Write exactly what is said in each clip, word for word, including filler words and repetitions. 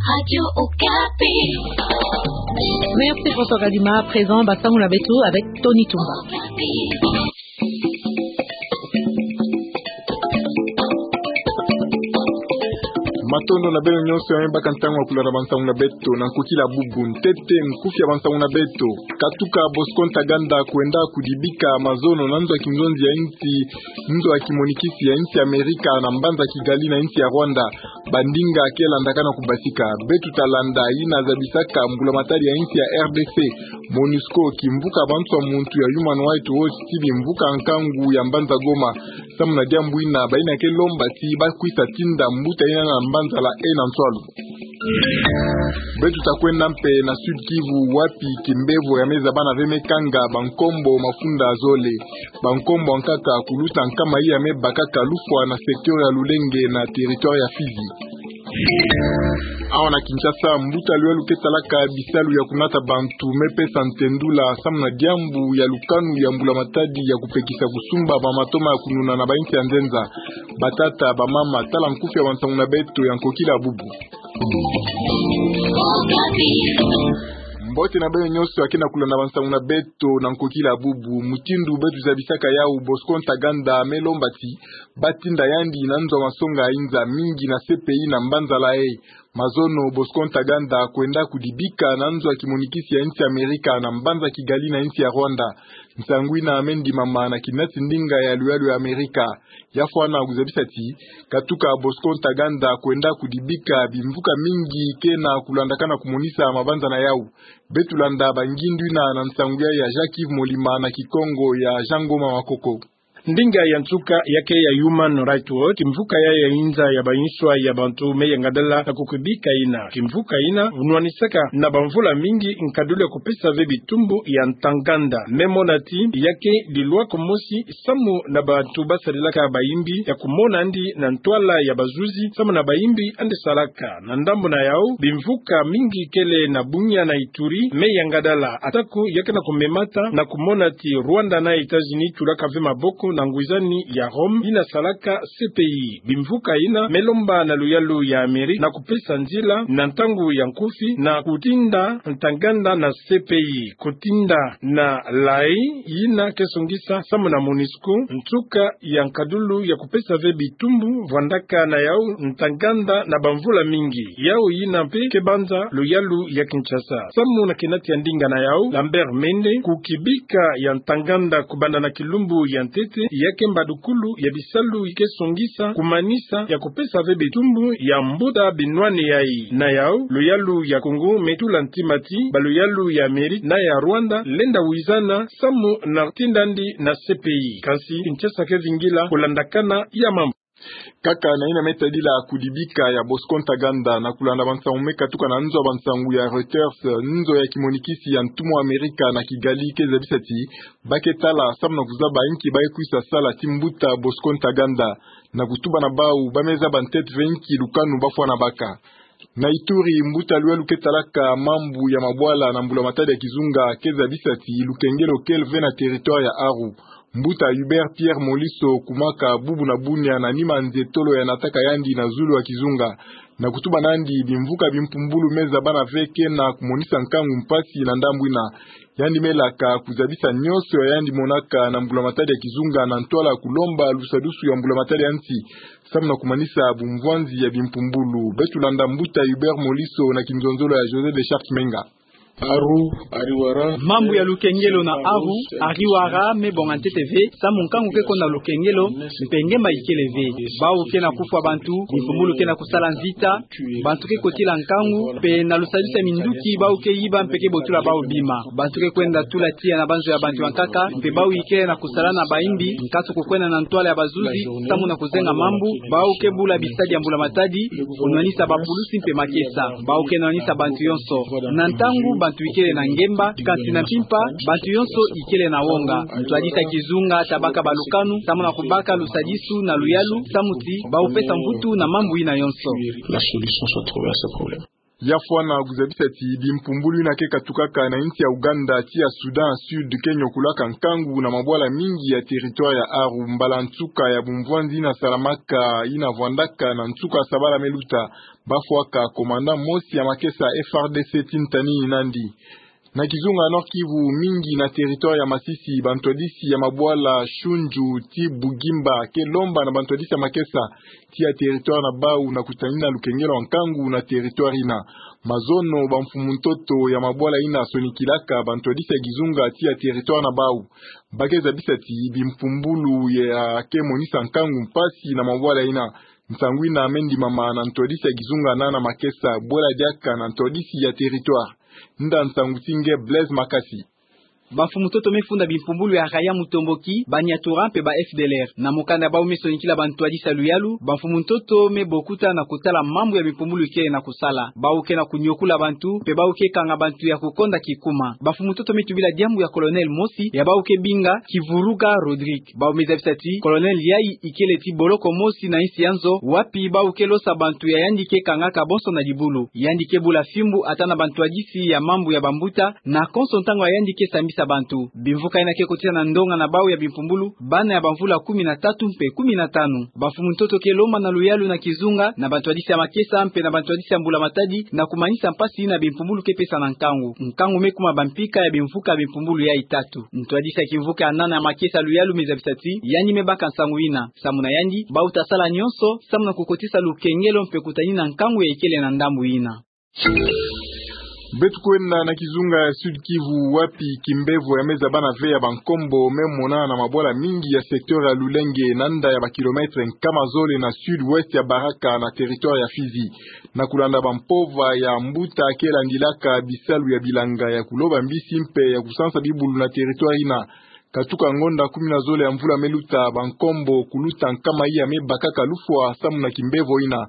Radio Okapi. Merci François Kadima. À présent, Bansango na beto avec Tony Tumba. Matondo na beno nyonso ya me baka ntangu ya kulanda Bansango na beto na nkokila bubu. Ntete nkufi ya Bansango na beto. Katuka Bosco Ntaganda kwenda kudibika mazono na nzo ya kinzonzi ya nsi, nzo ya kimonikisi ya nsi Amerika na mbanza Kigali na nsi ya Rwanda. Bandinga ke landaka na kubasika. Beto ta landa yina zabisaka mbulamatari ya nsi ya R D C, MONUSCO, kimvuka bantu ya muntu ya Human Rights Watch ti bimvuka nkangu ya mbanza Goma. Samu na diambu yina, bayina ke lomba ti bakwisa tinda mbuta yina na mbanza La Haye na ntwalu. Beto ta kwenda mpe na Sud-Kivu, wapi kimbevo ya me zabana ve me kanga bankombo mafunda zole. Bankombo nkaka kuluta nkama iya me bakaka lufwa na secteur ya Lulenge na territoire ya Fizi. Awa na Kinshasa, mbuta luyalu ke talaka bisalu ya kunata bantu me pesa ntendula samu na diambu ya lukanu ya mbulamatadi ya kupekisa kusumba ba matoma ya kununa na bayinsi ya nzenza. Batata, bamama, tala nkufi ya Bansango na beto ya nkokila bubu. Mbote na beno nyonso ya ke na kulanda Bansango na beto na nkokila bubu. Mutindu beto zabisaka yawu, Bosco Ntaganda me lomba ti batinda yandi na nzo ya masonga ya yinza mingi na C P I na mbanza La Haye. Mazono Bosco Ntaganda kwenda kudibika na nzo ya kimonikisi ya nsi Amerika na mbanza Kigali na nsi ya Rwanda. Nsangu yina me ndimama na kinati ndinga ya luyalu ya Amerika. Ya fwana kuzabisa ti, katuka Bosco Ntaganda kwenda kudibika, bimvuka mingi ke na kulandaka na kumonisa mabanza na yawu. Beto landa bangindu yina na nsangu ya, ya Jacques Yves Molima na Kikongo ya Jean Ngoma Makoko. Ndinga ya nsuka ya ke ya Human Rights Watch, kimvuka ya, ya yinza ya bayinswa ya bantu me yangadala na kukubika yina. Kimvuka yina nwanisaka na bamvula mingi nkadulu ya kupesa ve bitumbu ya Ntaganda. Me mona ti ya ke dilwa kumosi samu na bantu basarilaka bayimbi ya kumona andi na ntwala ya bazuzi samu na bayimbi andi salaka. Na ndambu na yawu, bimvuka mingi kele na Bunia na Ituri me yangadala, atako ya ke na kumemata na kumona ti Rwanda na États-Unis tulaka ve maboko na ngwizani ya Rome yina salaka C P I. Bimvuka yina me lomba na luyalu ya Amerika na kupesa nzila na ntangu ya nkufi na kutinda Ntaganda na C P I, kutinda na La Haye yina ke songisa samu na MONUSCO nsuka ya nkadulu ya kupesa ve bitumbu vwandaka na yawu Ntaganda na bamvula mingi. Yawu yina mpe ke banza luyalu ya Kinshasa. Samu na kinati ya ndinga na yawu, Lambert Mende, kukubika ya Ntaganda kubanda na kilumbu ya ntete ya ke mbadukulu ya bisalu ke songisa kumanisa ya kupesa ve bitumbu ya mbuta binwani yayi. Na yawu, luyalu ya Congo me tula ntima ti baluyalu ya Amerika na ya Rwanda lenda wizana samu na tinda andi na C P I. Kansi Kinshasa ke vingila kulandakana ya mambu. Kaka na yina me tadila kudibika ya Bosco Ntaganda, na kulanda bansangu me katuka na nzo ya bansangu ya Reuters, nzo ya kimonikisi ya ntumwa Amerika na Kigali ke zabisa ti ba ke tala samu na kuzaba inki ba ke kwisa sala ti mbuta Bosco Ntaganda, na kutuba na bawu ba me zaba ntete ve inki lukanu ba fwana baka. Na Ituri, mbuta luyalu ke talaka mambu ya mabwala na mbulamatadi ya kizunga ke zabisa ti lukengelo kele ve na territoire ya Aru. Mbuta Hubert Pierre Moliso, kumaka bubu na Bunia na nima nze tolo ya nataka yandi na zulu ya kizunga, na kutuba nandi bimvuka bimpumbulu me zabana ve ke na kumonisa nkangu mpasi na ndambu yina. Yandi me laka kuzabisa nyonso ya yandi monaka na mbulamatadi ya kizunga na ntwala kulomba lusadusu ya mbulamatadi ya nsi, samu na kumanisa bumvwanzi ya bimpumbulu. Beto landa mbuta Hubert Moliso na kinzonzolo ya José de Charles Menga. Aru, Ariwara. Mambu ya lukengelo na Aru, Ariwara, me bonga ntete ve, samu nkangu ke ko na lukengelo, mpe ngemba ikele ve. Bawu ke na kufwa bantu, bimpumbulu ke na kusala mvita, bantu ke kotila nkangu, mpe na lusadusu ya minduki bawu ke yiba mpe ke botula bawu bima. Bantu ke kwenda tula tiya na banzo ya bantu ya nkaka, mpe bawu ikele na kusala na bayimbi, nkatu kukwenda na ntwala ya bazuzi, samu na kuzenga mambu, bawu ke bula bisadi ya mbulamatadi, kunwanisa bapulusi mpe makesa, bawu ke nwanisa bantu yonso. Na ntangu bantu ikele na ngemba, kansi na mpimpa, bantu yonso ikele na wonga. Ntwadisi ya kizunga ta baka balukanu, samu na kubaka lusadisu na luyalu, samu ti bawu pesa mvutu na mambu yina yonso. La solution soit trouvée à ce problème. Ya fwana kuzabisa ti bimpumbulu ina ke katukaka na insi ya Ouganda tii ya Soudan Sud ke nyokulaka nkangu na mabwala mingi ya territoire ya Aru mbala nsuka ya bumvwanzi ina salamaka ina vwandaka na nsuka sabala me luta. Bafwaka commandant mosi ya makesa F R D C ti ntani nandi. Na kizunga Nord-Kivu, mingi na territoire ya Masisi, bantwadisi ya mabwala Shunju tii Bugimba ke lomba na bantwadisi ya makesa tii ya territoire na bau na kutanina lukengelo wa nkangu na territoire ina. Mazono bamfumu ntoto ya mabwala ina sonikilaka bantwadisi ya kizunga tii ya territoire na bau. Ba ke zabisa ti bimpumbulu ya ke monisa nkangu mpasi na mabwala ina. Nsangu ina me ndimama na ntwadisi ya kizunga na na makesa bwela diaka na ntwadisi ya territoire. Nda nsangu ti nge Blaise Makasi. Bamfumu ntoto me funda bimpumbulu ya Raya Mutomboki, Baniatura mpe ba F D L R. Na mokanda bau me sonikila bantwadisi ya luyalu, bamfumu ntoto me bokuta na kotala mambu ya bimpumbulu ikele na kosala. Bau ke na kunyokula bantu, mpe bau ke kanga bantu ya kukonda kikuma. Bamfumu ntoto me tubila diambu ya colonel mosi, ya bau ke binga Kivuruga Rodrigue. Bau me zabisa ti colonel yai ikele ti boloko mosi na insi ya nzo, wapi bau ke losa bantu ya yandi ke kangaka bonso na dibulu. Yandi ke bula fimbu ata na bantwadisi ya mambu ya bambuta, na konso ntangu ya yandi ke sambisa bantu. Bimvuka ina ke kotisa na ndonga na bau ya bimpumbulu, bana ya bamvula kumi na tatu mpe kumi na tanu. Bamfumu ntoto ke lomba na luyalu na kizunga, na bantwadisi ya makesa mpe na bantwadisi ya mbulamatadi, na kumanisa mpasi ina bimpumbulu ke pesa na nkangu. Nkangu me kuma bampika ya bimvuka ya bimpumbulu yai tatu. Ntwadisi ya kimvuka ya nana ya makesa luyalu me zabisa ti, yandi me baka nsangu ina. Samu na yandi, bau ta sala nyonso, samu na kukotisa lukengelo mpe kutanina nkangu ya ikele na ndambu ina. Beto kwenda na kizunga ya Sud-Kivu wapi kimbevo ya me zabana ve ya bankombo me mona na mabwala mingi ya secteur ya Lulenge na nda ya ba kilomètre nkama zole na sud-ouest ya Baraka na territoire ya Fizi. Na kulanda bampova ya mbuta ke landilaka bisalu ya bilanga ya kuloba mbisi mpe ya kusansa bibulu na territoire ina. Katuka ngonda kumi na zole ya mvula me luta, bankombo kuluta nkama iya me bakaka lufwa samu na kimbevo ina.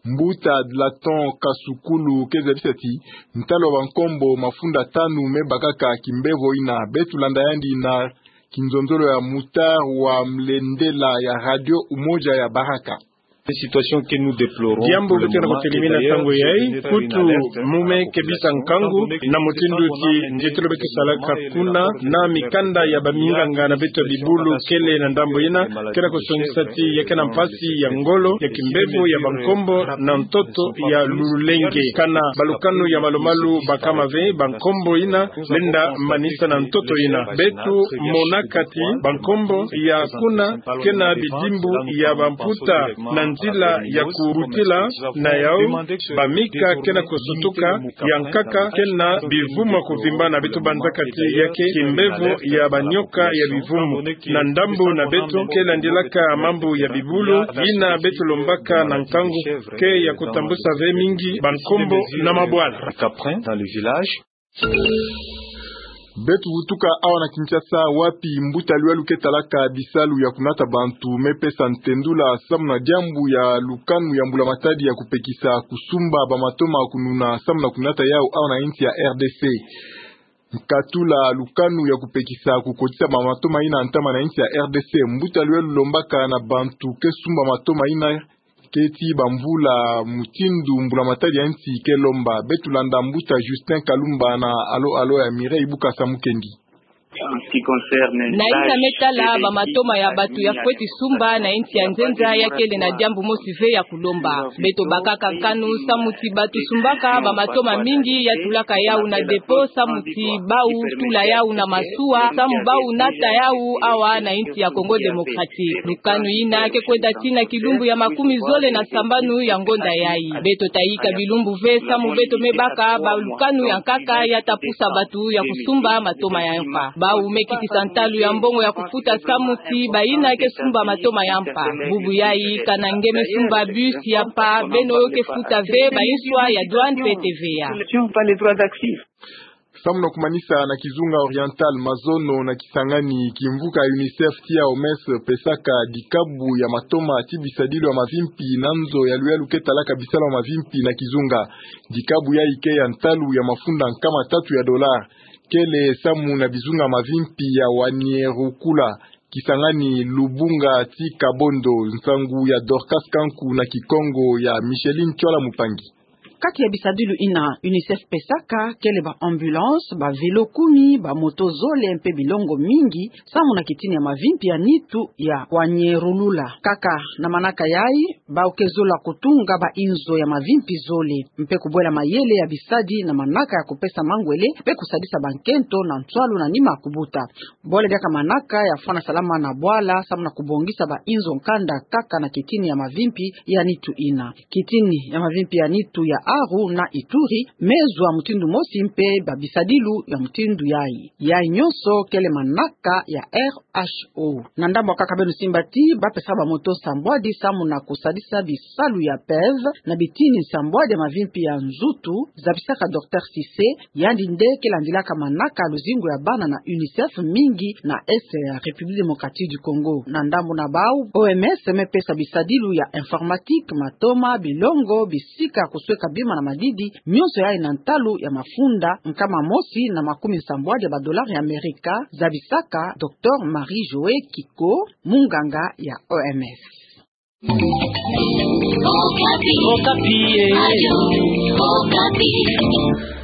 Mbuta Dlaton Kasukulu ke zabisa ti, ntalu wa bankombo mafunda tanu me bakaka kimbevo ina. Beto landa yandi na kinzonzolo ya Mutar wa Mlendela ya Radio Umoja ya Baraka. Diambu beto ke na kutelimina ntangu yai, kutu mu me kebisa nkangu, na mutindu ti nzietolo beto salaka kuna, na mikanda ya baminganga na beto ya bibulu kele na ndambu ina, ke na kusongisa ti ya ke na mpasi ya ngolo ya kimbevo ya bankombo na ntoto ya Lulenge. Kana balukanu ya malu-malu bakama ve, bankombo ina, lenda manisa na ntoto ina. Beto monaka ti bankombo ya kuna ke na bidimbu ya bamputa na nzila ya kurutila na yau, bamika ke na kusutuka, ya nkaka ke na bivumu ya kuvimba na beto banzaka ti ya ke kimbevo ya banyoka ya bivumu. Na ndambu na beto ke landilaka mambu ya bibulu, ina beto lombaka na nkangu ke ya kutambusa ve mingi bankombo na mabwala. Caprin, dans le village. Beto vutuka awa na Kinshasa, wapi mbuta luyalu ke talaka bisalu ya kunata bantu me pesa ntendula samu na diambu ya lukanu ya mbulamatadi ya kupekisa kusumba bamatoma kununa samu na kunata yau awa na insi ya R D C. Nkatula lukanu ya kupekisa kukotisa bamatoma ina ntama na insi ya R D C, mbuta luyalu lombaka na bantu ke sumba matoma ina ke ti bamvula mutindu mbulamatadi ya insi ke lomba. Beto landa mbuta Justin Kalumba na alo-alo ya Mireille Bukasa Mukendi. Na ina me tala bamatoma ya bantu ya fweti sumba na insi ya nzenza, ya kele na diambu mosi ve ya kulomba. Beto bakaka nkanu samu ti bantu sumbaka bamatoma mingi ya tulaka yau na dépôt samu ti bau tula yau na masuwa, samu bau nata yau awa na insi ya Congo Démocratique. Lukanu ina ke kwenda tii na kilumbu ya makumi zole na sambanu ya ngonda yai. Beto ta yika bilumbu ve samu beto me baka balukanu ya nkaka ya ta pusa bantu ya kusumba matoma ya mpa. Bau me kitisa ntalu ya mbongo ya kufuta samu ti bayina ke sumba matoma ya mpa. Bubu yai, kana nge me sumba bus ya mpa, beno yo ke futa ve bainswa ya douane mpe T V A. Samu na kumanisa na kizunga oriental, mazono na Kisangani, kimvuka UNICEF tia O M S pesaka dikabu ya matoma ti bisadilu ya mavimpi na nzo ya luyalu ke talaka bisalu ya mavimpi na kizunga. Dikabu yai ke ya ntalu ya mafunda nkama tatu ya dollar. Kele samu na bizunga mavimpi ya Wanierukula, Kisangani, Lubunga ti Kabondo. Nsangu ya Dorcas Kanku na Kikongo ya Micheline Tchola Mupangi. Kati ya bisadilu ina UNICEF pesaka kele ba ambulance, ba vélo kumi, ba moto zole mpe bilongo mingi, samu na kitini ya mavimpi ya nitu ya kwanyerulula. Kaka na manaka yayi, bawu ke zola kutunga ba inzo ya mavimpi zole, mpe kubwela mayele ya bisadi na manaka ya kupesa mangwele, mpe kusadisa bankento na nswalu na nima kubuta. Bole diaka manaka ya fwana salama na bwala, samu na kubongisa ba inzo nkanda kaka na kitini ya mavimpi ya nitu ina. Kitini ya mavimpi ya nitu ya Aru na Ituri mezwa mutindu mosi mpe ba bisadilu ya mutindu yayi. Yayi nyonso kele manaka ya R H O. Na ndambu kaka beno simba ti bapesaka ba moto sambwadi samu na kusadisa bisalu ya PEV na bitini sambwadi ya mavimpi ya nzutu, zabisaka Docteur Cissé, yandi nde ke landilaka manaka luzingu ya bana na UNICEF mingi na Est ya République Démocratique du Congo. Na ndambu na bawu, O M S me pesa bisadilu ya informatique, matoma, bilongo, bisika kusweka bima na madidi, nyonso yayi na ntalu ya mafunda nkama mosi na makumi sambwadi ya ba dollars ya Amerika, zabisaka Docteur Marie-Joëlle Kiko, munganga ya O M S. Okapi. Okapi, eh. Radio Okapi.